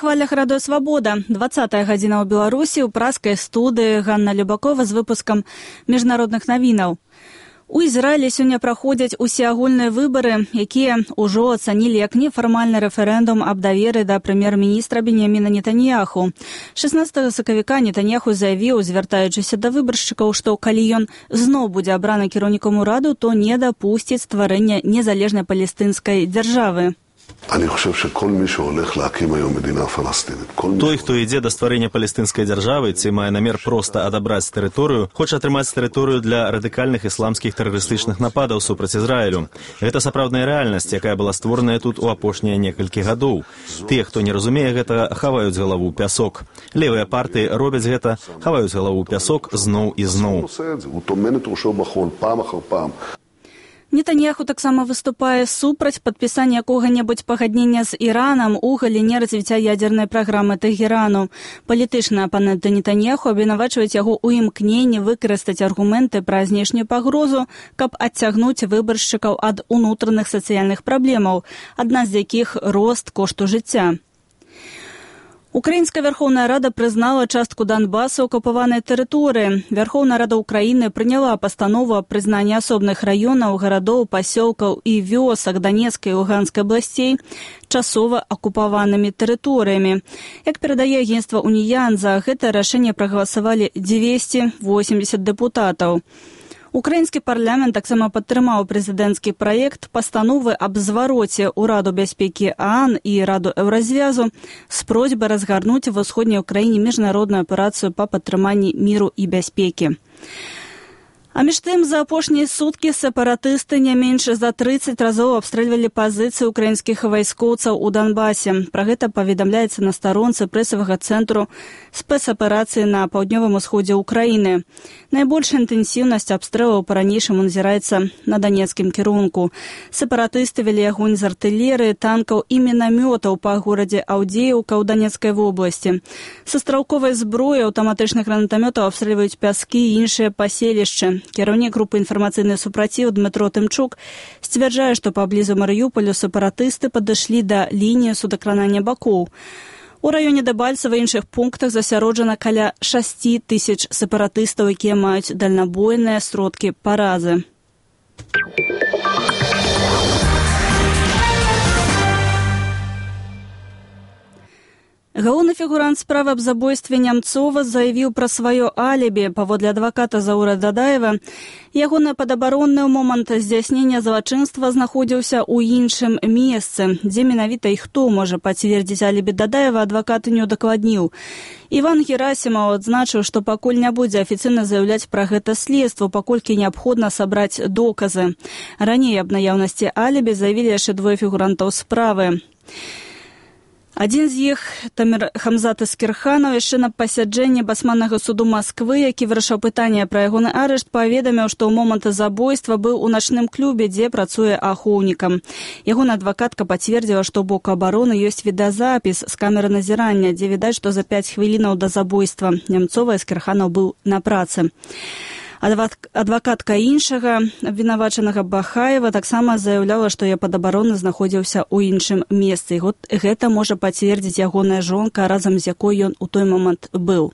На хвалях радыё «Свабода». 20-я гадзіна ў Беларусі ў праскай студыі Ганна Любакова з выпускам міжнародных навінаў. У Ізраілі сёння праходзяць усеагульныя выбары, якія ўжо ацанілі як нефармальны рэферэндум аб даверы да прэм'ер-міністра Беньяміна Нетаньяху. 16 сакавіка Нетаньяху заявіў, звяртаючыся да выбаршчыкаў, што калі ён зноў будзе абраны кіраўнікам ураду, то не дапусціць стварэння незалежнай палестынскай дзяржавы. Той, хто ідзе да стварэння палестынскай дзяржавы, ці мае намер проста адабраць тэрыторыю, хоча атрымаць тэрыторыю для радыкальных ісламскіх тэрарыстычных нападаў супраць Ізраілю. Гэта сапраўдная рэальнасць, якая была створаная тут у апошнія некалькі гадоў. Тыя, хто не разумее гэтага, хаваюць галаву ў пясок. Левыя партыі робяць гэта, хаваюць галаву ў пясок зноў і зноў. Нетаньяху таксама выступае супраць падпісання якога-небудзь пагаднення з Іранам у галіне развіцця ядзернай праграмы Тэхерану. Палітычныя апаненты Нетаньяху абвінавачваюць яго ў імкненні выкарыстаць аргументы пра знешнюю пагрозу, каб адцягнуць выбаршчыкаў ад унутраных сацыяльных праблемаў, адна з якіх рост кошту жыцця. Украінская Вярхоўная Рада прызнала частку Донбасу акупаванай тэрыторыі. Вярхоўная Рада Украіны прыняла пастанову аб прызнанні асобных раёнаў, гарадоў, пасёлкаў і вёсак Данецкай і Луганскай абласцей часова акупаванымі тэрыторыямі. Як перадае агенцтва «Уніян», за гэтае рашэнне прагаласавалі 280 дэпутатаў. Украінскі парламент таксама падтрымаў прэзідэнцкі праект пастановы аб звароце ў Раду бяспекі ААН і Раду Еўразвязу з просьбай разгарнуць ва ўсходняй Украіне міжнародную аперацыю па падтрыманні міру і бяспекі. А між тым, за апошнія суткі сепаратысты не менш за 30 разоў абстрэльвалі пазіцыі украінскіх вайскоўцаў у Донбасе. Пра гэта паведамляецца на старонцы прэсавага цэнтру спецаперацыі на паўднёвым усходзе Украіны. Найбольшая інтэнсіўнасць абстрэлаў па-ранейшаму назіраецца на данецкім кірунку. Сепаратысты вялі агонь з артылерыі, танкаў і мінамётаў па горадзе Аўдзеўка ў Данецкай вобласці. Са стралковай зброі аўтаматычных гранатамётаў абстрэльваюць пяскі і іншыя паселішчы. Кіраўнік групы «Інфармацыйны супраціў» Дмітро Тымчук сцвярджае, што паблізу Марыёполю сепаратысты падышлі да лініі судакранання бакоў. У раёне Дэбальцева і іншых пунктах засяроджана каля 6 тысяч сепаратыстаў, якія маюць дальнабойныя сродкі паразы. Галоўны фігурант справы аб забойстве Нямцова заявіў пра сваё алібі. Паводле адваката Заура Дадаева, ягоны падабаронны момант здзяйснення злачынства знаходзіўся ў іншым месцы. Дзе менавіта і хто можа пацвердзіць алібі Дадаева, адвакат не ўдакладніў. Іван Герасімаў адзначыў, што пакуль не будзе афіцыйна заяўляць пра гэта следства, паколькі неабходна сабраць доказы. Раней аб наяўнасці алібі заявілі яшчэ двое фігурантаў справы. Адзін з іх, Тамір Хамзат Эскерханаў, яшчэ на пасяджэнні басманнага суду Масквы, які вырашаў пытанне пра ягоны арышт, паведаміў, што ў момант забойства быў у начным клубе, дзе працуе ахоўнікам. Ягоная адвакатка пацвердзіла, што ў боку абароны ёсць відэазапіс з камеры назірання, дзе відаць, што за 5 хвілінаў да забойства Нямцова Эскерханаў быў на працы. Адвакатка іншага абвінавачанага Бахаева таксама заяўляла, што яе падабароны знаходзіўся ў іншым месцы. Гэта можа пацвердзіць ягоная жонка, разам з якой ён у той момант быў.